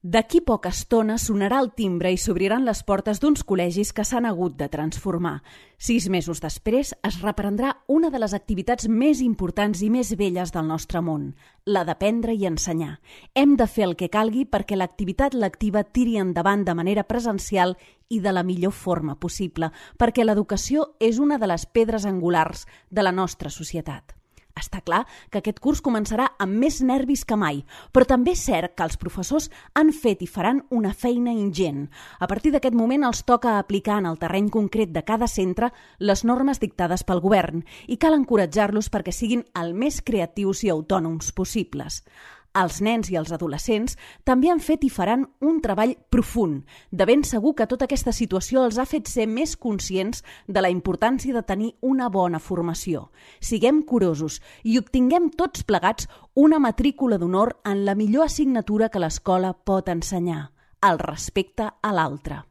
D'aquí poca estona sonarà el timbre i s'obriran les portes d'uns col·legis que s'han hagut de transformar. 6 mesos després es reprendrà una de les activitats més importants i més velles del nostre món, la d'aprendre i ensenyar. Hem de fer el que calgui perquè l'activitat lectiva tiri endavant de manera presencial i de la millor forma possible, perquè l'educació és una de les pedres angulars de la nostra societat. Està clar que aquest curs començarà amb més nervis que mai, però també és cert que els professors han fet i faran una feina ingent. A partir d'aquest moment els toca aplicar en el terreny concret de cada centre les normes dictades pel govern i cal encoratjar-los perquè siguin el més creatius i autònoms possibles. Els nens i els adolescents també han fet i faran un treball profund. De ben segur que tota aquesta situació els ha fet ser més conscients de la importància de tenir una bona formació. Siguem curosos i obtinguem tots plegats una matrícula d'honor en la millor assignatura que l'escola pot ensenyar, el respecte a l'altre.